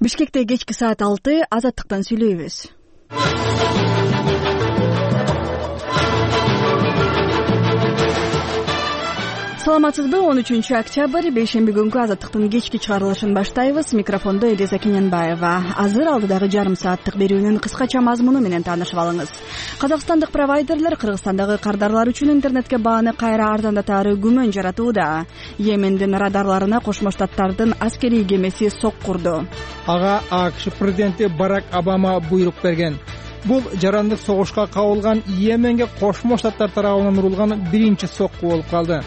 Бишкекте кечки саат 6 азаттыктан сүйлөйбүз. Саламатсызбы? 13-октябрь бейшемби күнгү азаттыктын кечки чыгарылышын баштайбыз. Микрофондо Элиза Кененбаева. Азыр алдыдагы жарым сааттык берүүнүн кыскача мазмуну менен таанышып алыңыз. Казакстандык провайдерлер Кыргызстандагы кардарлар үчүн интернетке бааны кайра арзандатаары күмөн жаратууда. Йемендин радарларына Кошмо Штаттардын аскерий кемеси соккурду. Ага АКШ президенти Барак Обама буйрук берген. Бул жарандык согушка кабылган Йеменге Кошмо Штаттар тарабынан урулган биринчи сокку болуп калды.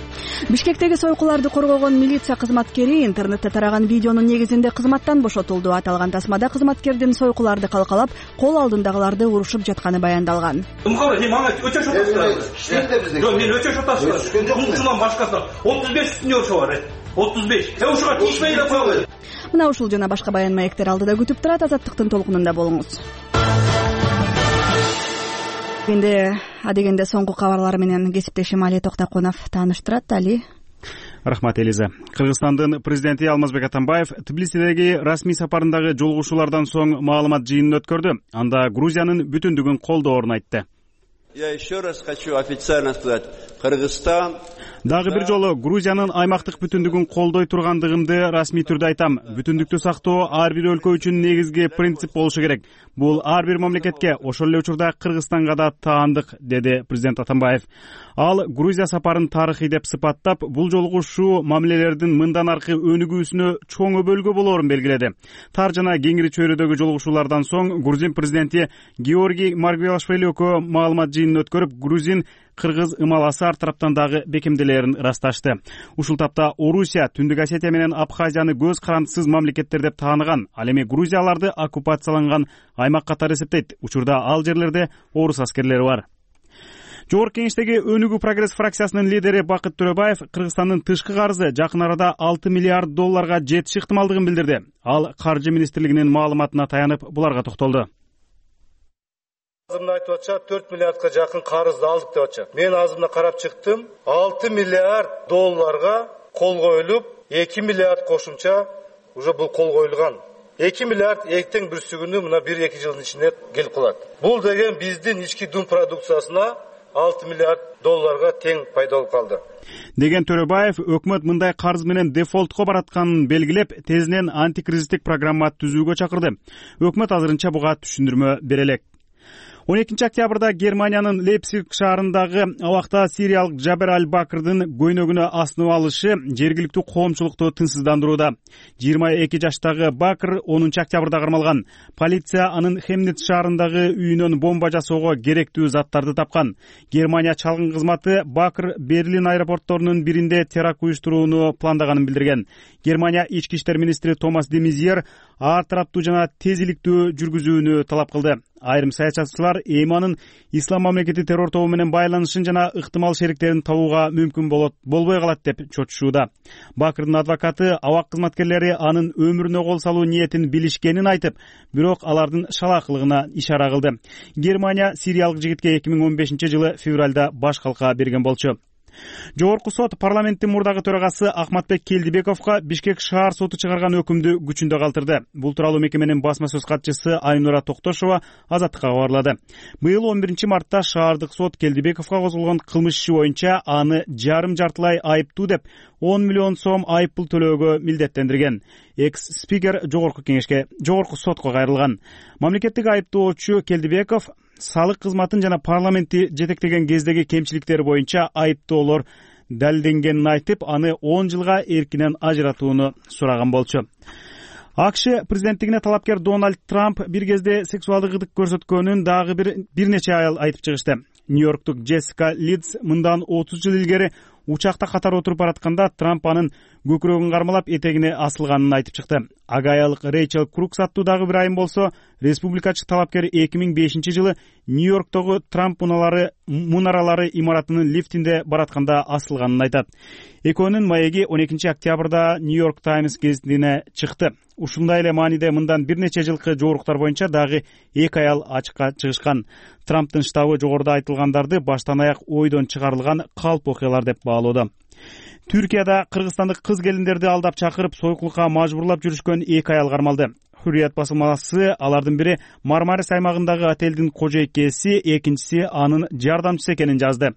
Бишкектеги сойкуларды коргогон милиция кызматкери интернетте тараган видеонун негизинде кызматтан бошотулду. Аталган тасмада кызматкердин сойкуларды калкалап, кол алдындагыларды урушуп жатканы баяндалган. Мага өчөш атасыздар. Жок, мен өчөш атасыздар. Мунчунан башкасы 35 үстүнө ошо бар. 35. Ошого тийишпей эле койгой. Мына ушул жана башка баян маектер алдыда күтүп турат. Азаттыктын толкунунда болуңуз. Эми адегенде соңку кабарлар менен кесиптешим Али Токтокунов тааныштырат. Али. Рахмат, Элиза. Кыргызстандын президенти Алмазбек Атамбаев Тбилисидеги расмий сапарындагы жолугушуулардан соң маалымат жыйынын өткөрдү. Анда Грузиянын бүтүндүгүн колдоорун айтты. Я еще раз хочу официально сказать, Кыргызстан Дагы бир жолу Грузиянын аймактык бүтүндүгүн колдой тургандыгымды расмий түрдө айтам. Бүтүндүктү сактоо ар бир өлкө үчүн негизги принцип болушу керек. Бул ар бир мамлекетке, ошол эле учурда Кыргызстанга да таандык, деди президент Атамбаев. Ал Грузия сапарын тарыхый деп сыпаттап, бул жолугушуу мамилелердин мындан аркы өнүгүүсүнө чоң өбөлгө болоорун белгиледи. Тар жана кеңири чөйрөдөгү жолугушуулардан соң Грузин президенти Георгий Маргвелашвили экөө маалымат жыйынын өткөрүп, грузин кыргыз ымаласы ар тараптан дагы бекемделерин ырасташты. Ушул тапта Орусия Түндүк Осетия менен Абхазияны көз карандысыз мамлекеттер деп тааныган. Ал эми Грузияларды оккупацияланган аймак катары эсептейт. Учурда ал жерлерде орус аскерлери бар. Жогорку кеңештеги Өнүгүү прогресс фракциясынын лидери Бакыт Төрөбаев Кыргызстандын тышкы карызы жакын арада 6 миллиард долларга жетиш ыктымалдыгын билдирди. Ал Каржы министрлигинин маалыматына таянып буларга токтолду. Азымда айтып атча 4 миллиардка жакын карызды алдык деп атча. Мен азымда карап чыктым. 6 миллиард долларга кол коюлуп, 2 миллиард кошумча уже бул кол коюлган. 2 миллиард эртең бүрсүгүнү мына 1-2 жылдын ичинде келип калат. Бул деген биздин ички дум продукциясына 6 миллиард долларга тең пайда болуп калды. Деген Төрөбаев өкмөт мындай карыз менен дефолтко баратканын белгилеп, тезинен антикризистик программа түзүүгө чакырды. Өкмөт азырынча буга түшүндүрмө бере элек. 12 октябрда Германиянын Лейпциг шаарындагы абакта сириялык Жабер Аль-Бакрдын көйнөгүнө асынып алышы жергиликтүү коомчулукту тынчсыздандырууда. 22 жаштагы Бакр 10 октябрда кармалган. Полиция анын Хемниц шаарындагы үйүнөн бомба жасоого керектүү заттарды тапкан. Германия чалгын кызматы Бакр Берлин аэропортторунун биринде теракт уюштурууну пландаганын билдирген. Германия ички иштер министри Томас де Мезьер ар тараптуу жана тезиликтүү жүргүзүүнү талап кылды. Айрым саясатчылар Эйманын ислам мамлекети террор тобу менен байланышын жана ыктымал шериктерин табууга мүмкүн болбой калат деп чочушууда. Бакырдын адвокаты абак кызматкерлери анын өмүрүнө кол салуу ниетин билишкенин айтып, бирок алардын шалаакылыгына ишара кылды. Германия сириялык жигитке 2015-жылы февралда баш калка берген болчу. Жогорку сот парламенттин мурдагы төрагасы Ахматбек Келдибековго Бишкек шаар соту чыгарган өкүмдү күчүндө калтырды. Бул тууралуу мекеменин басма сөз катчысы Айнура Токтошова Азаттыкка кабарлады. Быйыл 11 мартта шаардык сот Келдибековго козголгон кылмыш иши боюнча аны жарым-жартылай айыптуу деп 10 миллион сом айыппул төлөөгө милдеттендирген. Экс-спикер жогорку сотко кайрылган. Мамлекеттик айыптоочу Келдибеков салык кызматын жана парламентти жетектеген кездеги кемчиликтери боюнча айыптоолор далилденгенин айтып, аны 10 жылга эркинен ажыратууну сураган болчу. АКШ президенттигине талапкер Дональд Трамп бир кезде сексуалдык ыдык көрсөткөнүн дагы бир нече аял айтып чыгышты. Нью-Йорктук Джессика Лидс мындан 30 жыл илгери учакта катар отуруп баратканда Трамп анын көкүрөгүн кармалап этегине асылганын айтып чыкты. Ага аялык Рейчел Крукс аттуу дагы бир айым болсо, республикачы талапкер 2005-жылы Нью-Йорктогу Трамп мунаралары имаратынын лифтинде баратканда асылганын айтат. Экөөнүн маеги 12 октябрда Нью-Йорк Таймс гезитине чыкты. Ушундай эле мааниде мындан бир нече жылкы жогоруктар боюнча дагы 2 аял ачыкка чыгышкан. Трамптын штабы жогоруда айтылгандарды баштан аяк ойдон чыгарылган калп окуялар деп баалоодо. Түркияда кыргызстандык кыз келиндерди алдап чакырып сойкулукка мажбурлап жүрүшкөн 2 аял кармалды. Hurriyet басылмасы алардын бири Мармарис аймагындагы отелдин кожойкеси, экинчиси анын жардамчысы экенин жазды.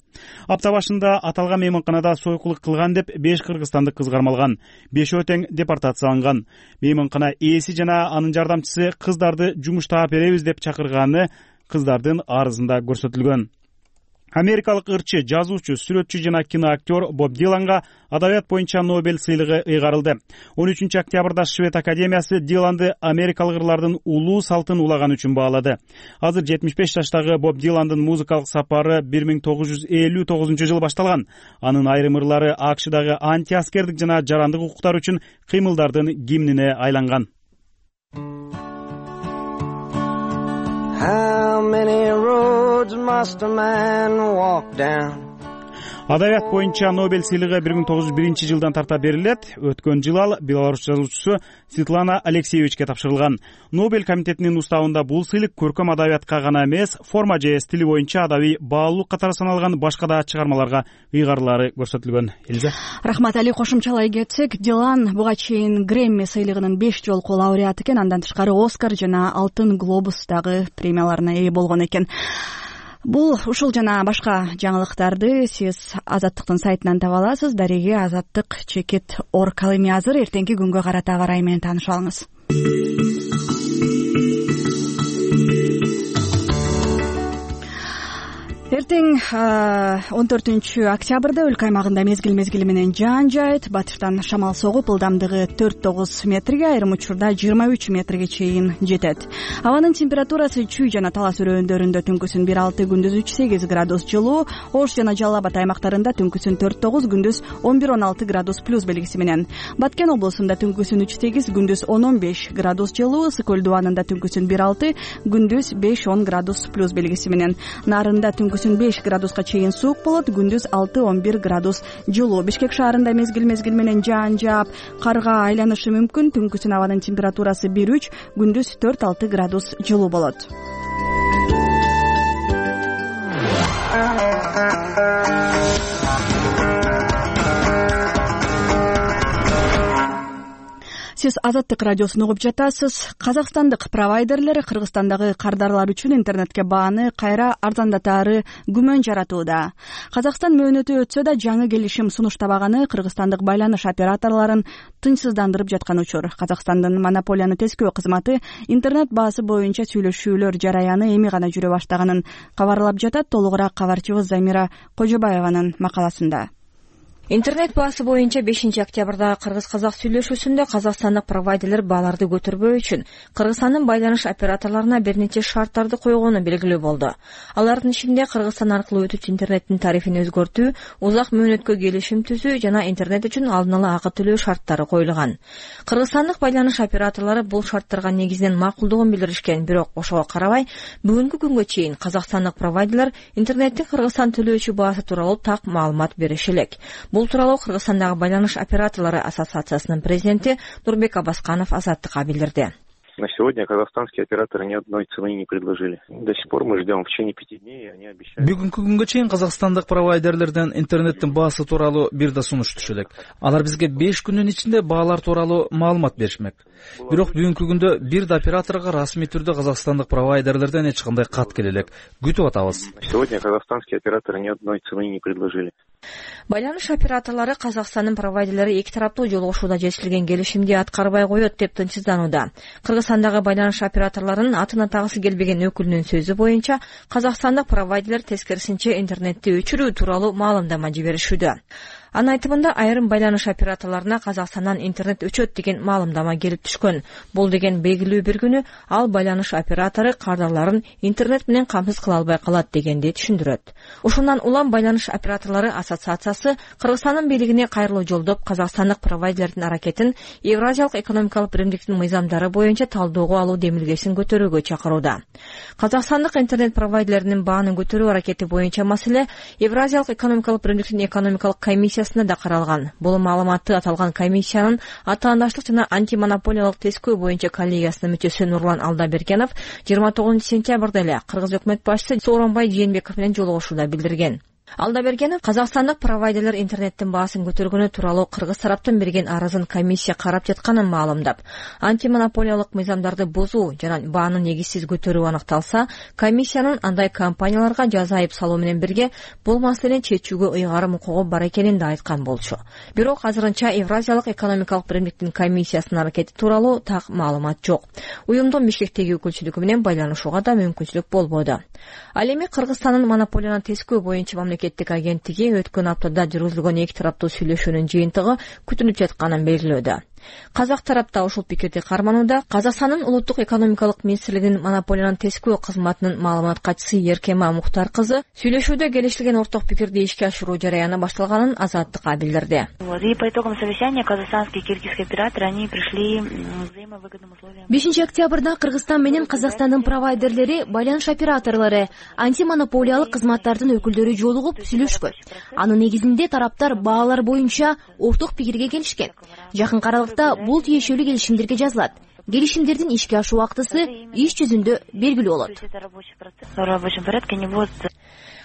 Апта башында аталган мейманканада сойкулук кылган деп 5 кыргызстандык кыз кармалган, 5 тең депортацияланган. Мейманкана ээси жана анын жардамчысы кыздарды жумуштап беребиз деп чакырганы кыздардын арызында көрсөтүлгөн. Америкалык ырчы, жазуучу, сүрөтчү жана киноактер Боб Диланга адабият боюнча Нобель сыйлыгы ыйгарылды. 13 октябрда Швед академиясы Диланды америкалык ырлардын улуу салтын улаган үчүн баалады. Азыр 75 жаштагы Боб Диландын музыкалык сапары 1959 жылы башталган. Анын айрым ырлары АКШдагы антиаскердик жана жарандык укуктар үчүн кыймылдардын гимнине айланган. How many roads must a man walk down? Адабият боюнча Нобель сыйлыгы 1901 жылдан тарта берилет. Өткөн жыл ал белорус жазуучусу Светлана Алексеевичке тапшырылган. Нобель комитетинин уставында бул сыйлык көркөм адабиятка гана эмес, форма же стили боюнча адабий баалуулук катары саналган башка да чыгармаларга ыйгарылары көрсөтүлгөн. Элиза. Рахмат Али, кошумчалай кетсек, Дилан буга чейин Грэмми сыйлыгынын 5 жолку лауреаты экен, андан тышкары Оскар жана Алтын глобустагы премияларына ээ болгон экен. Бул ушул жана башка жаңылыктарды сиз Азаттыктын сайтынан таба аласыз. Дареги Азаттык_орг. Ал эми азыр эртеңки күнгө карата аба ырайы менен таанышып алыңыз. Эртең 14 октябрда өлкө аймагында мезгил менен жаан жаайт. Батыштан шамал согуп, ылдамдыгы 4-9 метрге, айрым учурда 23 метрге чейин жетет. Абанын температурасы Чүй жана Талас өрөөндөрүндө түнкүсүн 1-6, күндүз 3-8 градус жылуу, Ош жана Жалал Абад аймактарында түнкүсүн 4-9, күндүз 11-16 градус плюс белгиси менен. Баткен облусунда түнкүсүн 3-8, күндүз 10-15 градус жылуу, Ысык көл дубанында түнкүсүн 1-6, күндүз 5-10 градус плюс белгиси менен. Нарында түнкүсүн 5 градуска чейин суук болот, күндүз 6-11 градус жылуу. Бишкек шаарында мезгил менен жаан жаап, карга айланышы мүмкүн. Түнкүсүн абанын температурасы 1-3, күндүз 4-6 градус жылуу болот. Сиз Азаттык радиосун угуп жатасыз. Казакстандык провайдерлер Кыргызстандагы кардарлар үчүн интернетке бааны кайра арзандатаары күмөн жаратууда. Казакстан мөөнөтү өтсө да жаңы келишим сунуштабаганы кыргызстандык байланыш операторлорун тынчсыздандырып жаткан учур. Казакстандын монополияны тескөө кызматы интернет баасы боюнча сүйлөшүүлөр жараяны эми гана жүрө баштаганын кабарлап жатат. Толугураак кабарчыбыз Замира Кожобаеванын макаласында. Интернет баасы боюнча 5 октябрда кыргыз-казак сүйлөшүүсүндө казакстандык провайдерлер бааларды көтөрбөө үчүн Кыргызстандын байланыш операторлоруна бир нече шарттарды койгону белгилүү болду. Алардын ичинде Кыргызстан аркылуу өтүүчү интернеттин тарифин өзгөртүү, узак мөөнөткө келишим түзүү жана интернет үчүн алдын ала акы төлөө шарттары коюлган. Кыргызстандык байланыш операторлору бул шарттарга негизинен макулдугун билдиришкен, бирок ошого карабай, бүгүнкү күнгө чейин казакстандык провайдерлер интернеттин Кыргызстан төлөөчү баасы тууралуу так маалымат бериши элек. Бул тууралуу Кыргызстандагы байланыш операторлору ассоциациясынын президенти Нурбек Абасканов Азаттыкка билдирди. На сегодня казахстанские операторы ни одной цены не предложили. До сих пор мы ждем в течение 5 дней, они обещают. Бүгүнкү күнгө чейин казакстандык провайдерлерден интернеттин баасы тууралуу бир да сунуш түшө элек. Алар бизге 5 күндүн ичинде баалар тууралуу маалымат беришмек. Бирок бүгүнкү күндө бир да операторго расмий түрдө казакстандык провайдерлерден эч кандай кат келе элек. Күтүп атабыз. Сегодня казахстанские операторы ни одной цены не предложили. Байланыш операторлору Казакстандын провайдерлери эки тараптуу жолугушууда жетишилген келишимди аткарбай коет деп тынчсызданууда. Кыргызстандагы байланыш операторлорунун атын атагысы келбеген өкүлүнүн сөзү боюнча, казакстандык провайдерлер тескерисинче интернетти өчүрүү тууралуу маалымдама жиберишүүдө. Анын айтымында айрым байланыш операторлоруна Казакстандан интернет өчөт деген маалымдама келип түшкөн. Бул деген белгилүү бир күнү ал байланыш оператору кардарларын интернет менен камсыз кыла албай калат дегенди түшүндүрөт. Ушундан улам байланыш операторлору ассоциациясы Кыргызстандын бийлигине кайрылуу жолдоп казакстандык провайдерлердин аракетин Евразиялык экономикалык биримдиктин мыйзамдары боюнча талдоого алуу демилгесин көтөрүүгө чакырууда. Казакстандык интернет провайдерлеринин баанын көтөрүү аракети боюнча маселе Евразиялык экономикалык биримдиктин экономикалык комиссиясында да каралган. Бул маалыматты аталган комиссиянын атаандаштык жана антимонополиялык тескөө боюнча коллегиясынын мүчөсү Нурлан Алдабергенов 29 сентябрда эле Кыргыз өкмөт башчысы Сооронбай Жээнбеков менен жолугушууда билдирген. Алдабергенов Казакстандык провайдерлер интернеттин баасын көтөргөнү тууралуу кыргыз тараптан берген арызын комиссия карап жатканын маалымдап, антимонополиялык мыйзамдарды бузуу жана бааны негизсиз көтөрүү аныкталса, комиссиянын андай компанияларга жаза айып салуу менен бирге бул маселени чечүүгө ыйгарым укугу бар экенин да айткан болчу. Бирок азырынча Евразиялык экономикалык биримдиктин комиссиясынын аракети тууралуу так маалымат жок. Уюмдун Бишкектеги өкүлчүлүгү менен байланышууга да мүмкүнчүлүк болбоду. Ал эми Кыргызстандын монополияны тескөө боюнча мамлекеттик агенттиги өткөн аптада жүргүзүлгөн эки тараптуу сүйлөшүүнүн жыйынтыгы күтүнүп жатканын белгилөөдө. Казак тарапта ушул пикирди карманууда Казакстандын улуттук экономикалык министрлигинин монополияны тескөө кызматынын маалымат катчысы Еркема Мухтар кызы сүйлөшүүдө келишилген орток пикирди ишке ашыруу жараяны башталганын Азаттыкка билдирди. И по итогам совещания казахстанские и киргизские операторы они пришли к взаимовыгодным условиям. 5 октябрда Кыргызстан менен Казакстандын провайдерлери, байланыш операторлору, антимонополиялык кызматтардын өкүлдөрү жолугуп сүйлөшкөн. Анын негизинде тараптар баалар боюнча орток пикирге келишкен. Жакын аралыкта бул тиешелүү келишимдерге жазылат. Келишимдердин ишке ашуу убактысы иш жүзүндө белгилүү болот.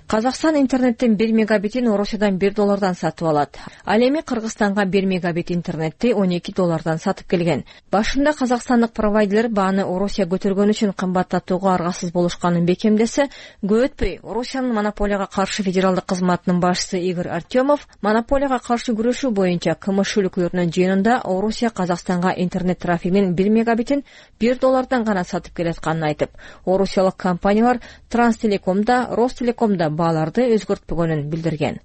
Казакстан интернеттин 1 мегабитин Орусиядан $1 сатып алат. Ал эми Кыргызстанга 1 мегабит интернетти $12 сатып келген. Башында казакстандык провайдерлер бааны Орусия көтөргөн үчүн кымбаттатууга аргасыз болушканын бекемдесе, көп өтпөй Орусиянын монополияга каршы федералдык кызматынын башчысы Игорь Артемов монополияга каршы күрөшүү боюнча КМШ өлкөлөрүнүн жыйынында Орусия Казакстанга интернет трафигинин 1 мегабитин $1 гана сатып келатканын айтып, орусиялык компаниялар Транстелекомда, Ростелекомда бааларды өзгөртпөгөнүн билдирген.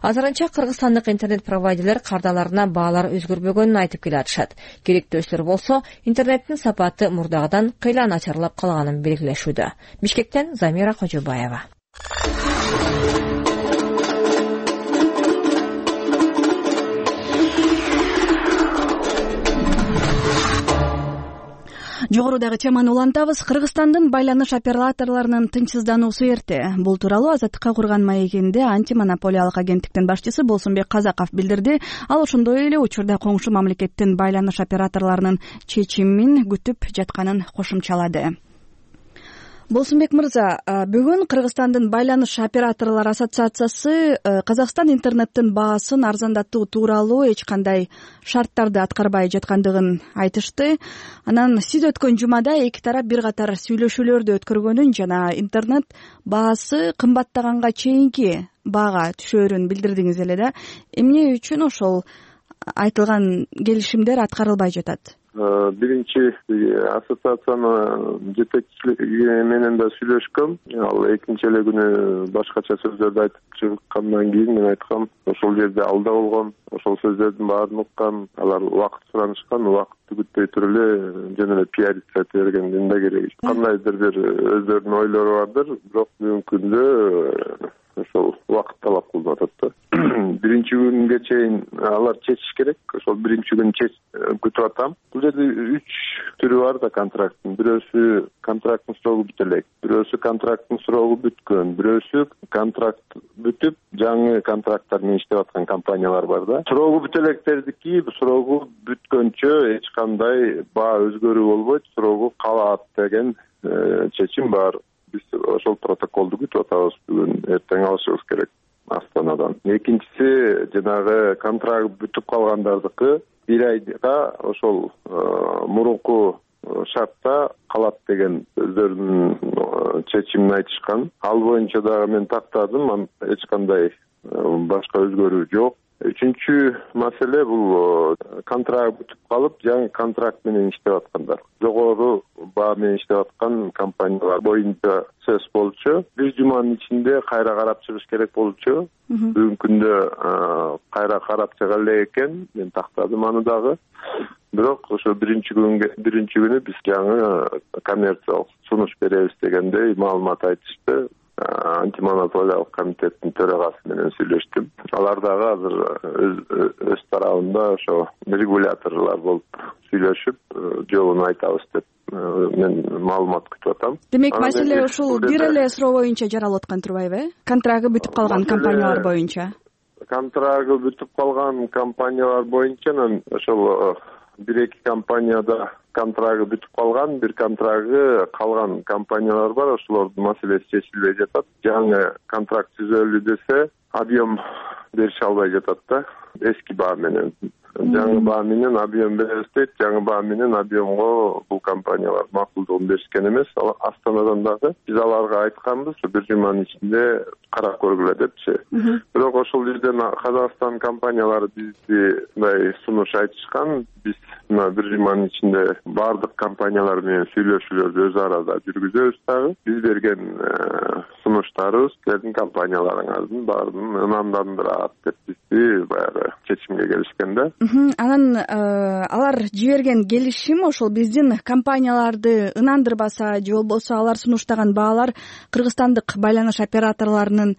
Азырынча кыргызстандык интернет провайдерлер кардаларына баалар өзгөрбөгөнүн айтып келатышат. Керектөөчүлөр болсо, интернеттин сапаты мурдагыдан кыйла начарлап калганын белгилешүүдө. Бишкектен Замира Кожобаева. Жогорудагы теманы улантабыз. Кыргызстандын байланыш операторлорунун тынчсыздануусу эрте. Бул тууралуу Азаттыкка курган маегинде антимонополиялык агенттиктин башчысы Болсунбек Казаков билдирди. Ал ошондой эле учурда коңшу мамлекеттин байланыш операторлорунун чечимин күтүп жатканын кошумчалады. Болсунбек мырза, бүгүн Кыргызстандын байланыш операторлор ассоциациясы Казакстан интернеттин баасын арзандатуу тууралуу эч кандай шарттарды аткарбай жаткандыгын айтышты. Анан сиз өткөн жумада эки тарап бир катар сүйлөшүүлөрдү өткөргөнүн жана интернет баасы кымбаттаганга чейинки баага түшөөрүн билдирдиңиз эле да. Эмне үчүн ошол айтылган келишимдер аткарылбай жатат? Биринчи ассоциациянын жетекчилиги менен да сүйлөшкөм. Ал экинчи эле күнү башкача сөздөрдү айтып чыккандан кийин мен айткам, ошол жерде алда болгон, ошол сөздөрдүн баарын уккан, алар убакыт суранышкан, убакытты күтпөй туруп эле жөн эле пиариться ете бергендин да кереги. Кандайдыр бир өздөрүнүн ойлору бардыр, бирок бүгүнкү күндө ошол убакыт талап кылынып атат да. Биринчи күнгө чейин алар чечиш керек. Ошол биринчи күн күтүп атам. Бул жерде 3 түрү бар да контракттын. Бирөөсү контракттын срогу бүтө элек, бирөөсү контракттын срогу бүткөн, бирөөсү контракт бүтүп жаңы контракттар менен иштеп аткан компаниялар бар да. Срогу бүтө электердики срогу бүткөнчө эч кандай баа өзгөрүү болбойт, срогу калат деген чечим бар. Биз ошол протоколду күтүп атабыз. Бүгүн эртең алышыбыз керек Астанадан. Экинчиси жанагы контракт бүтүп калгандардыкы 1 айга ошол мурунку шартта калат деген өздөрүнүн чечимин айтышкан. Ал боюнча дагы мен тактадым, эч кандай башка өзгөрүү жок. Үчүнчү маселе бул контракт бүтүп калып, жаңы контракт менен иштеп аткандар. Жогору баа менен иштеп аткан компаниялар боюнча сөз болчу. Бир жуманын ичинде кайра карап чыгыш керек болчу. Бүгүнкү күндө кайра карап чыга элек экен. Мен тактадым аны дагы. Бирок ошо биринчи күнү биз жаңы коммерциялык сунуш беребиз дегендей маалымат айтышты. Антимонополиялык комитеттин төрагасы менен сүйлөштүм. Алар дагы азыр өз тарабында ошо регуляторлор болуп сүйлөшүп, жолун айтабыз деп мен маалымат күтүп атам. Демек, маселе ушул бир эле суроо боюнча жаралып аткан турбайбы? Контрагы бүтүп калган компаниялар боюнча. Контрагы бүтүп калган компаниялар боюнча ошол 1-2 компанияда контрагы бүтүп калган, бир контрагы калган компаниялар бар, ошолордун маселеси чечилбей жатат. Жаңы контракт түзөлүү десе, объем берише албай жатат да. Эски баа менен жаңы баа менен объем беребиз дейт. Жаңы баа менен объемго бул компаниялар макулдугун беришкен эмес. Астанадан дагы биз аларга айтканбыз, бир жуманын ичинде карап көргүлө депчи. Бирок ошол жерден Казакстан компаниялары бизди мындай сунуш айтышкан. Биз мына бир жуманын ичинде баардык компаниялар менен сүйлөшүүлөрдү өз арада жүргүзөбүз дагы. Биз берген сунуштарыбыз силердин компанияларыңардын баарын ынандандырат деп бизди баягы чечимге келишкен да. Анан алар жиберген келишим ошол биздин компанияларды ынандырбаса же болбосо алар сунуштаган баалар кыргызстандык байланыш операторлорунун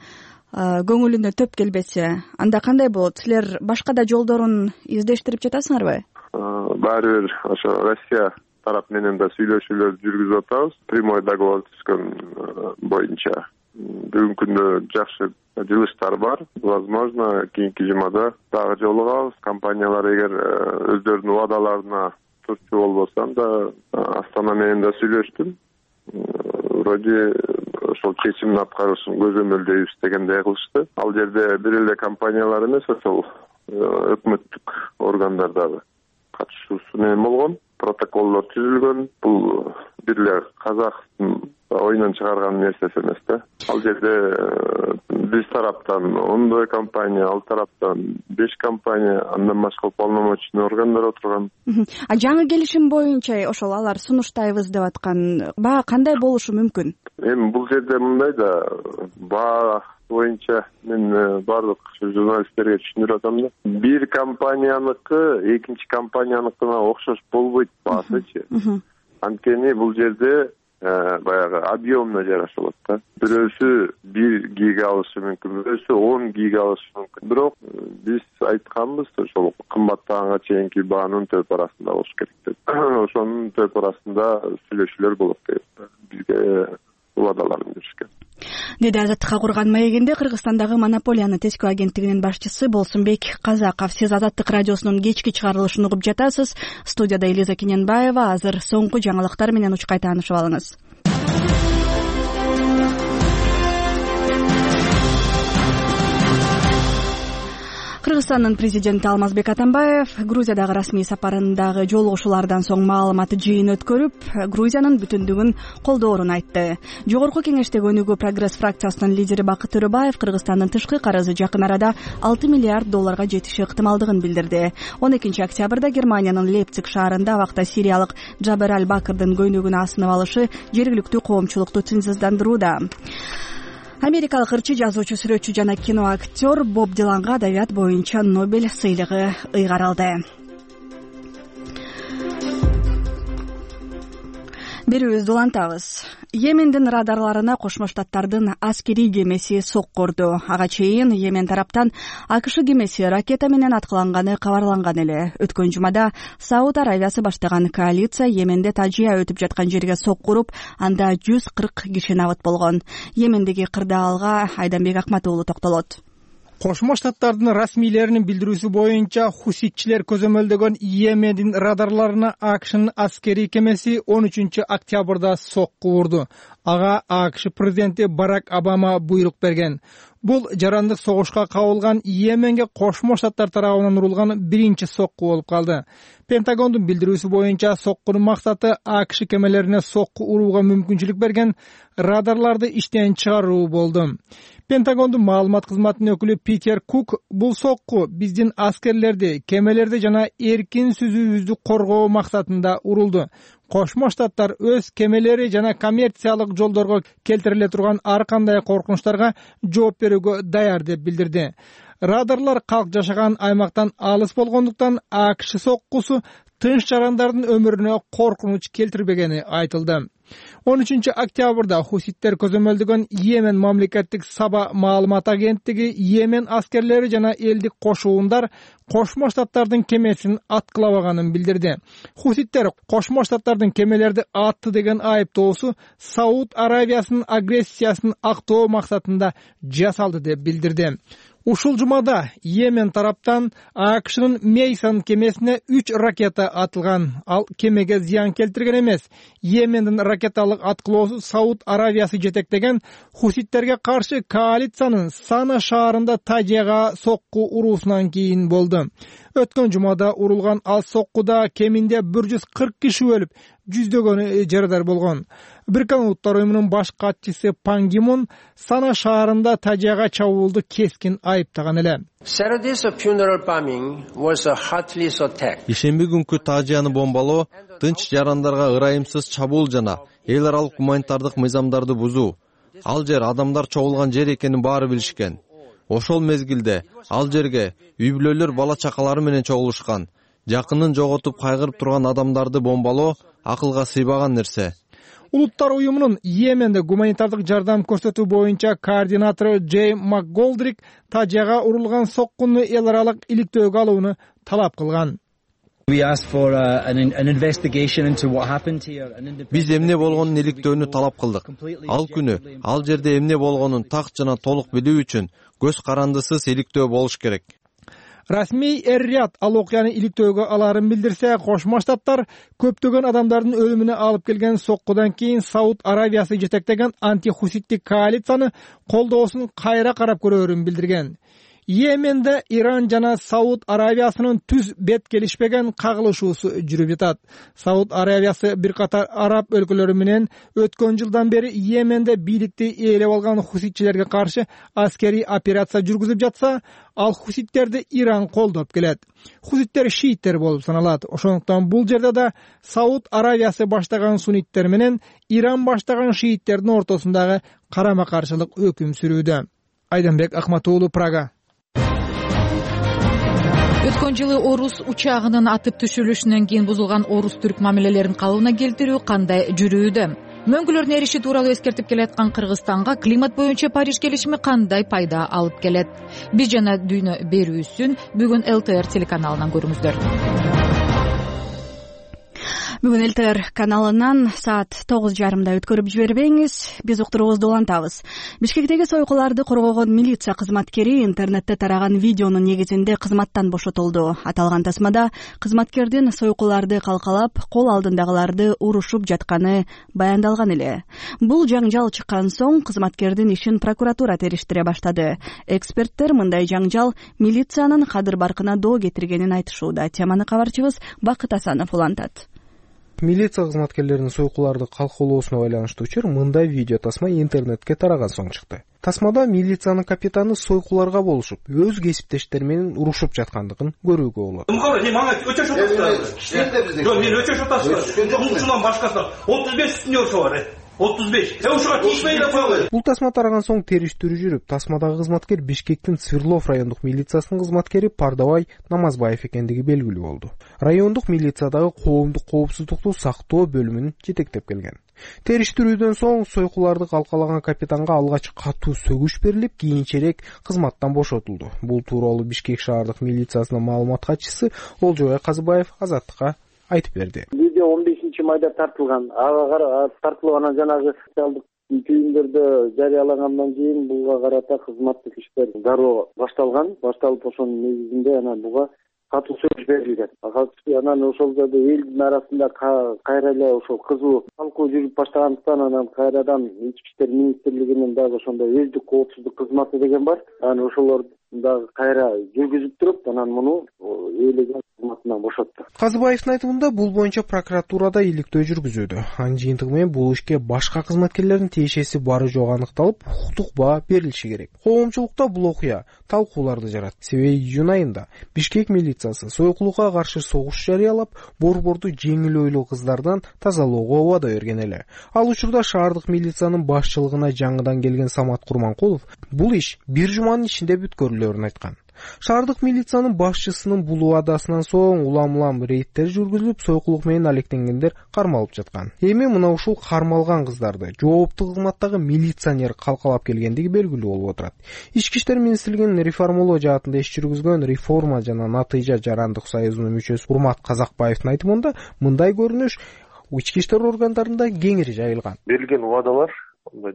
көңүлүнө төп келбесе, анда кандай болот? Силер башка да жолдорун издештирип жатасыңарбы? Баары бир ошо Россия тарап менен да сүйлөшүүлөрдү жүргүзүп атабыз. Прямой договор түзгөн боюнча. Бүгүнкү күндө жакшы жылыштар бар. Возможно, кийинки жумада дагы жолугабыз. Компаниялар эгер өздөрүнүн убадаларына турчу болбосо, анда Астана менен да сүйлөштүм. Вроде ошол чечимдин аткарылышын көзөмөлдөйбүз дегендей кылышты. Ал жерде бир эле компаниялар эмес, ошол өкмөттүк органдар дагы катышуусу менен болгон. Протоколдор түзүлгөн. Бул бир эле казактын оюнан чыгарган нерсеси эмес да. Ал жерде биз тараптан 10 компания, ал тараптан 5 компания, андан башка уполномоченный органдар отурган. Жаңы келишим боюнча ошол алар сунуштайбыз деп аткан баа кандай болушу мүмкүн? Эми бул жерде мындай да, баа боюнча мен баардык журналисттерге түшүндүрүп атам да. Бир компанияныкы экинчи компанияныкына окшош болбойт баасычы. Анткени бул жерде баягы объемно жараша болот да. Бирөөсү 1 гига алышы мүмкүн, бирөөсү 10 гига алышы мүмкүн. Бирок биз айтканбыз, ошол кымбаттаганга чейинки баанын төп арасында болуш керек деп. Ошонун төп арасында сүйлөшүүлөр болот деп бизге убадаларын беришкен. Деди Азаттыкка курган маегинде Кыргызстандагы монополияны тескөө агенттигинин башчысы Болсунбек Казаков. Сиз Азаттык радиосунун кечки чыгарылышын угуп жатасыз. Студияда Элиза Кененбаева. Азыр соңку жаңылыктар менен учкай таанышып алыңыз. Кыргызстандын президенти Алмазбек Атамбаев Грузиядагы расмий сапарындагы жолугушуулардан соң маалымат жыйын өткөрүп, Грузиянын бүтүндүгүн колдоорун айтты. Жогорку кеңештеги өнүгүү прогресс фракциясынын лидери Бакыт Төрөбаев Кыргызстандын тышкы карызы жакын арада $6 миллиард жетиши ыктымалдыгын билдирди. 12 октябрда Германиянын Лейпциг шаарында абакта сириялык Джабер Аль-Бакырдын көйнөгүнө асынып алышы жергиликтүү коомчулукту тынчсыздандырууда. Америкалык ырчы, жазуучу, сүрөтчү жана кино актер Боб Диланга адабият боюнча Нобель сыйлыгы ыйгарылды. Берүүбүздү улантабыз. Йемендин радарларына Кошмо Штаттардын аскерий кемеси соккурду. Ага чейин Йемен тараптан АКШ кемеси ракета менен аткыланганы кабарланган эле. Өткөн жумада Сауд Аравиясы баштаган коалиция Йеменде тажия өтүп жаткан жерге соккуруп, анда 140 киши набыт болгон. Йемендеги кырдаалга Айданбек Акмат уулу токтолот. Кошмо Штаттардын расмийлеринин билдирүүсү боюнча хуситчилер көзөмөлдөгөн Йемендин радарларына АКШнын аскерий кемеси 13 октябрда сокку урду. Ага АКШ президенти Барак Обама буйрук берген. Бул жарандык согушка кабылган Йеменге Кошмо Штаттар тарабынан урулган биринчи сокку болуп калды. Пентагондун билдирүүсү боюнча соккунун максаты АКШ кемелерине сокку урууга мүмкүнчүлүк берген радарларды иштен чыгаруу болду. Пентагондун маалымат кызматынын өкүлү Питер Кук бул сокку биздин аскерлерди, кемелерди жана эркин сүзүүбүздү коргоо максатында урулду. Кошмо Штаттар өз кемелери жана коммерциялык жолдорго келтириле турган ар кандай коркунучтарга жооп берүүгө даяр деп билдирди. Радарлар калк жашаган аймактан алыс болгондуктан АКШ соккусу тынч жарандардын өмүрүнө коркунуч келтирбегени айтылды. 13 октябрда хуситтер көзөмөлдөгөн Йемен мамлекеттик Саба маалымат агенттиги Йемен аскерлери жана элдик кошуундар Кошмо Штаттардын кемесин аткылабаганын билдирди. Хуситтер Кошмо Штаттардын кемелерди атты деген айыптоосу Сауд Аравиясынын агрессиясын актоо максатында жасалды деп билдирди. Ушул жумада Йемен тараптан АКШнын Мейсон кемесине 3 ракета атылган. Ал кемеге зыян келтирген эмес. Йемендин ракеталык аткылоосу Сауд Аравиясы жетектеген хуситтерге каршы коалициянын Сана шаарында Тажияга сокку уруусунан кийин болду. Өткөн жумада урулган ал соккуда кеминде 140 киши өлүп, жүздөгөнү жарадар болгон. Бириккен Улуттар уюмунун баш катчысы Пан Ги Мун Сана шаарында Тажияга чабуулду кескин айыптаган эле. Ишемби күнкү Тажияны бомбалоо тынч жарандарга ырайымсыз чабуул жана эл аралык гуманитардык мыйзамдарды бузуу. Ал жер адамдар чогулган жер экенин баары билишкен. Ошол мезгилде ал жерге үй-бүлөлөр бала чакалары менен чогулушкан. Жакынын жоготуп кайгырып турган адамдарды бомбалоо акылга сыйбаган нерсе. Улуттар уюмунун Йеменде гуманитардык жардам көрсөтүү боюнча координатору Джей МакГолдрик Тажияга урулган соккуну эл аралык иликтөөгө алууну талап кылган. Биз эмне болгонун иликтөөнү талап кылдык. Ал күнү ал жерде эмне болгонун так жана толук билүү үчүн көз карандысыз иликтөө болуш керек. Расмий Эр-Рияд ал окуяны иликтөөгө аларын билдирсе, Кошмо Штаттар көптөгөн адамдардын өлүмүнө алып келген соккудан кийин Сауд Аравиясы жетектеген антихуситтик коалицияны колдоосун кайра карап көрөөрүн билдирген. Йеменде Иран жана Сауд Аравиясынын түз бет келишпеген кагылышуусу жүрүп жатат. Сауд Аравиясы бир катар араб өлкөлөрү менен өткөн жылдан бери Йеменде бийликти ээлеп алган хуситчилерге каршы аскерий операция жүргүзүп жатса, ал хуситтерди Иран колдоп келет. Хуситтер шииттер болуп саналат. Ошондуктан бул жерде да Сауд Аравиясы баштаган сунниттер менен Иран баштаган шииттердин ортосундагы карама-каршылык өкүм сүрүүдө. Айданбек Акматуулу, Прага. Өткөн жылы орус учагынын атып түшүрүлүшүнөн кийин бузулган орус-түрк мамилелерин калыбына келтирүү кандай жүрүүдө? Мөңгүлөрдүн эриши тууралуу эскертип келаткан Кыргызстанга климат боюнча Париж келишими кандай пайда алып келет? Биз жана дүйнө берүүсүн бүгүн ЛТР телеканалынан көрүңүздөр. Бүгүн ЛТР каналынан саат 9:30 өткөрүп жибербеңиз. Биз уктуруубузду улантабыз. Бишкектеги сойкуларды коргогон милиция кызматкери интернетте тараган видеонун негизинде кызматтан бошотулду. Аталган тасмада кызматкердин сойкуларды калкалап, кол алдындагыларды урушуп жатканы баяндалган эле. Бул жаңжал чыккан соң кызматкердин ишин прокуратура териштире баштады. Эксперттер мындай жаңжал милициянын кадыр баркына доо кетиргенин айтышууда. Теманы кабарчыбыз Бакыт Асанов улантат. Милиция кызматкерлеринин сойкуларды калкалоосуна байланыштуу учур мындай видео тасма интернетке тараган соң чыкты. Тасмада милициянын капитаны сойкуларга болушуп, өз кесиптештери менен урушуп жаткандыгын көрүүгө болот. Мага өчөш атасыздар. Жок, мен өчөш атасыздар. Мунчунан башкасы 35 сутнёрчу бар. 35. Ушуга тийишпей эле койгула. Бул тасма тараган соң териштирүү жүрүп, тасмадагы кызматкер Бишкектин Свердлов райондук милициясынын кызматкери Пардабай Намазбаев экендиги белгилүү болду. Райондук милициядагы коомдук коопсуздукту сактоо бөлүмүн жетектеп келген. Териштирүүдөн соң сойкуларды калкалаган капитанга алгач катуу сөгүш берилип, кийинчерээк кызматтан бошотулду. Бул тууралуу Бишкек шаардык милициясынын маалымат катчысы Олжобай Казыбаев Азаттыкка айтып берди. Видео 15-майда тартылган. Ага тартылып анан жанагы социалдык түйүндөрдө жарыялагандан кийин буга карата кызматтык иштер дароо башталган. Башталып ошонун негизинде анан буга катуу сөгүш берилген. Анан ошол жерде элдин арасында кайра эле ошол кызуу талкуу жүрүп баштагандыктан анан кайрадан ички иштер министрлигинин дагы ошондой өздүк коопсуздук кызматы деген бар. Анан ошолор дагы кайра жүргүзүп туруп, анан муну ээлеген кызматынан бошотту. Казыбаевдин айтымында бул боюнча прокуратурада иликтөө жүргүзүүдө. Анын жыйынтыгы менен бул ишке башка кызматкерлердин тиешеси бары жок аныкталып, укуктук баа берилиши керек. Коомчулукта бул окуя талкууларды жаратты. Себеби июнь айында Бишкек милициясы сойкулукка каршы согуш жарыялап, борборду жеңил ойлуу кыздардан тазалоого убада берген эле. Ал учурда шаардык милициянын башчылыгына жаңыдан келген Самат Курманкулов бул иш бир жуманын ичинде бүткөрүлөрүн айткан. Шаардык милициянын башчысынын бул убадасынан соң улам рейдтер жүргүзүлүп, сойкулук менен алектенгендер кармалып жаткан. Эми мына ушул кармалган кыздарды жооптуу кызматтагы милиционер калкалап келгендиги белгилүү болуп отурат. Ички иштер министрлигинин реформалоо жаатында иш жүргүзгөн Реформа жана Натыйжа жарандык союзунун мүчөсү Урмат Казакбаевдин айтымында мындай көрүнүш ички иштер органдарында кеңири жайылган. Берилген убадалар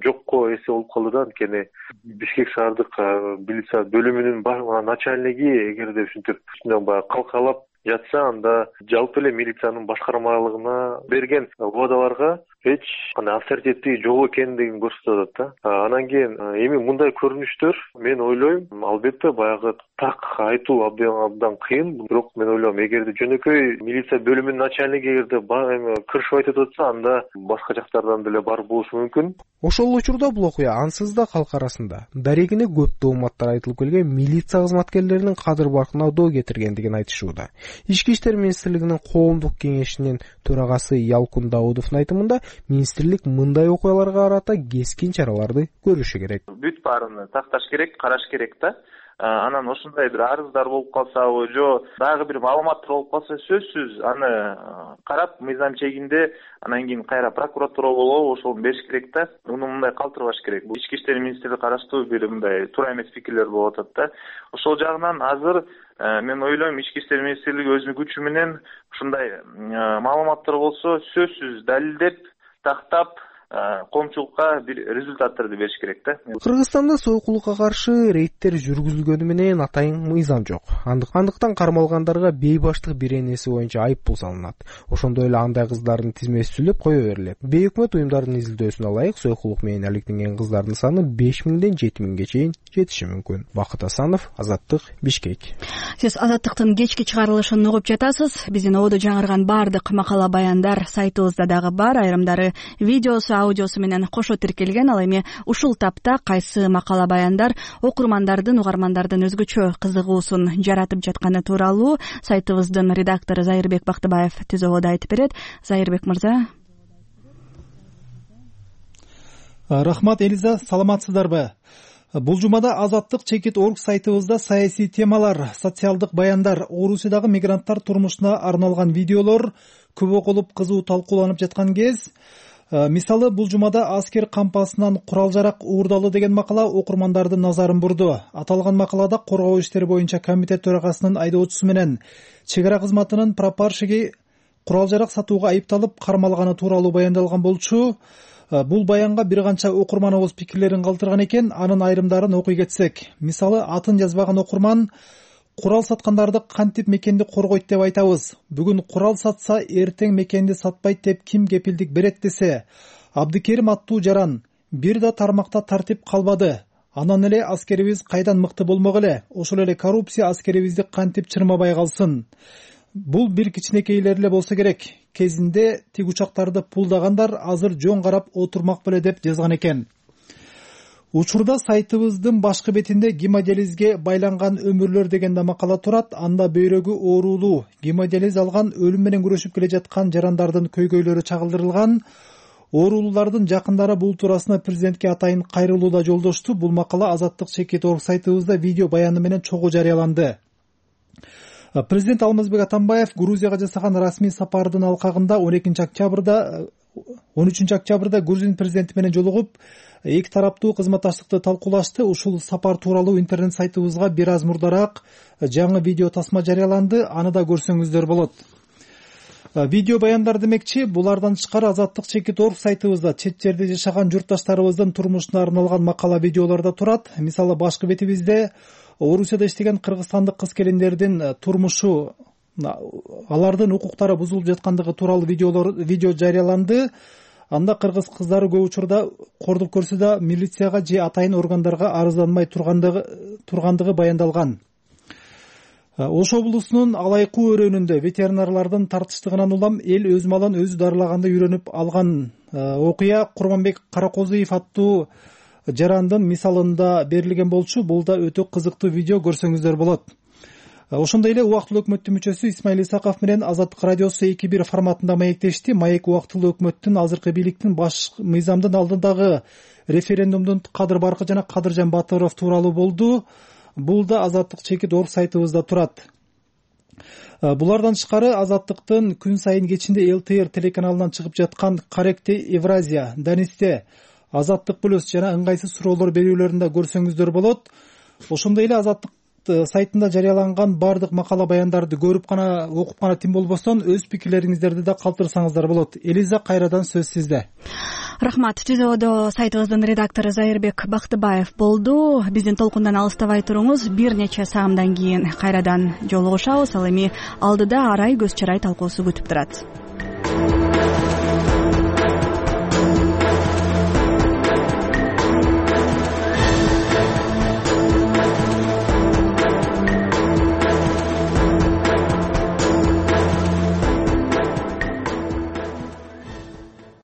жокко эсе болуп калды да. Анткени Бишкек шаардык милиция бөлүмүнүн начальниги эгерде ушинтип баягы калкалап жатса, анда жалпы эле милициянын башкармалыгына берген убадаларга эч кандай авторитети жок экендигин көрсөтүп атат да. Анан кийин эми мындай көрүнүштөр мен ойлойм, албетте баягы так айтуу абдан кыйын, бирок мен ойлойм эгерде жөнөкөй милиция бөлүмүнүн начальниги эгерде кырышып айтып атса, анда башка жактардан деле бар болушу мүмкүн. Ошол учурда бул окуя ансыз да калк арасында дарегине көп тооматтар айтылып келген милиция кызматкерлеринин кадыр баркына доо кетиргендигин айтышууда. Ички иштер министрлигинин коомдук кеңешинин төрагасы Ялкун Даудовдун айтымында, министрлик мындай окуяларга карата кескин чараларды көрүшү керек. Бүт баарын такташ керек, караш керек да. Анан ошондой бир арыздар болуп калсабы, жо дагы бир маалыматтар болуп калса, сөзсүз аны карап мыйзам чегинде анан кийин кайра прокуратура болобу, ошону бериш керек да. Муну мындай калтырбаш керек. Бул ички иштер министрлиги караштуу бир мындай туура эмес пикирлер болуп атат да. Ошол жагынан азыр мен ойлойм, ички иштер министрлиги өзүнүн күчү менен ушундай маалыматтар болсо сөзсүз далилдеп, тактап коомчулукка бир результаттарды бериш керек да. Кыргызстанда сойкулукка каршы рейдтер жүргүзүлгөнү менен атайын мыйзам жок. Андыктан кармалгандарга бейбаштык беренеси боюнча айып пул салынат. Ошондой эле андай кыздардын тизмеси түзүлүп кое берилет. Бейөкмөт уюмдардын изилдөөсүнө ылайык, сойкулук менен алектенген кыздардын саны 5000ден 7000ге чейин жетиши мүмкүн. Бакыт Асанов, Азаттык, Бишкек. Сиз Азаттыктын кечки чыгарылышын угуп жатасыз. Биздин ободо жаңырган баардык макала баяндар сайтыбызда дагы бар. Айрымдары видеосу, аудиосу менен кошо тиркелген. Ал эми ушул тапта кайсы макала баяндар окурмандардын, угармандардын өзгөчө кызыгуусун жаратып жатканы тууралуу сайтыбыздын редактору Зайырбек Бактыбаев түз ободо айтып берет. Зайырбек мырза. Рахмат Элиза, саламатсыздарбы? Бул жумада Азаттык.org сайтыбызда саясий темалар, социалдык баяндар, Орусиядагы мигранттар турмушуна арналган видеолор көп окулуп кызуу талкууланып жаткан кез. Мисалы, бул жумада аскер кампасынан курал-жарак уурдалды деген макала окурмандардын назарын бурду. Аталган макалада коргоо иштери боюнча комитет төрагасынын айдоочусу менен чек ара кызматынын прапорщиги курал-жарак сатууга айыпталып кармалганы тууралуу баяндалган болчу. Бул баянга бир канча окурманыбыз пикирлерин калтырган экен, анын айрымдарын окуй кетсек. Мисалы, атын жазбаган окурман курал саткандарды кантип мекенди коргойт деп айтабыз. Бүгүн курал сатса, эртең мекенди сатпайт деп ким кепилдик берет десе. Абдыкерим аттуу жаран бир да тармакта тартип калбады. Анан эле аскерибиз кайдан мыкты болмок эле? Ошол эле коррупция аскерибизди кантип чырмабай калсын? Бул бир кичинекейлер эле болсо керек. Кезинде тиг учактарды пулдагандар азыр жөн карап отурмак беле деп жазган экен. Учурда сайтыбыздын башкы бетинде гемодиализге байланган өмүрлөр деген да макала турат. Анда бөйрөгү оорулуу, гемодиализ алган, өлүм менен күрөшүп келе жаткан жарандардын көйгөйлөрү чагылдырылган. Оорулуулардын жакындары бул туурасында президентке атайын кайрылуу да жолдошту. Бул макала Азаттык.org сайтыбызда видео баяны менен чогуу жарыяланды. Президент Алмазбек Атамбаев Грузияга жасаган расмий сапардын алкагында 13 октябрда Грузин президенти менен жолугуп, эки тараптуу кызматташтыкты талкуулашты. Ушул сапар тууралуу интернет сайтыбызга бир аз мурдараак жаңы видео тасма жарыяланды. Аны да көрсөңүздөр болот. Видео баяндар демекчи, булардан тышкары Азаттык.org сайтыбызда чет жерде жашаган журтташтарыбыздын турмушуна арналган макала видеолор да турат. Мисалы, башкы бетибизде Орусияда иштеген кыргызстандык кыз-келиндердин турмушу, алардын укуктары бузулуп жаткандыгы тууралуу видео жарыяланды. Анда кыргыз кыздары көп учурда кордук көрсө да милицияга же атайын органдарга арызданмай тургандыгы баяндалган. Ош облусунун Алайкуу өрөөнүндө ветеринарлардын тартыштыгынан улам эл өз малын өзү дарылаганды үйрөнүп алган окуя Курманбек Каракозуев аттуу жарандын мисалында берилген болчу. Бул да өтө кызыктуу видео, көрсөңүздөр болот. Ошондой эле убактылуу өкмөттүн мүчөсү Исмаил Исаков менен Азаттык радиосу 2-1 форматында маектешти. Маек убактылуу өкмөттүн азыркы бийликтин баш мыйзамдын алдындагы референдумдун кадыр баркы жана Кадыржан Батыров тууралуу болду. Бул да Азаттык.org сайтыбызда турат. Булардан тышкары Азаттыктын күн сайын кечинде ЛТР телеканалынан чыгып жаткан Корректе Евразия, Данисте, Азаттык плюс жана ыңгайсыз суроолор берүүлөрүндө көрсөңүздөр болот. Ошондой эле Азаттык сайтында жарыяланган баардык макала баяндарды көрүп гана, окуп гана тим болбостон өз пикирлериңиздерди да калтырсаңыздар болот. Элиза, кайрадан сөз сизде. Рахмат. Түзөөдө сайтыбыздын редактору Зайырбек Бактыбаев болду. Биздин толкундан алыстабай туруңуз. Бир нече саамдан кийин кайрадан жолугушабыз. Ал эми алдыда арай көз чарай талкуусу күтүп турат.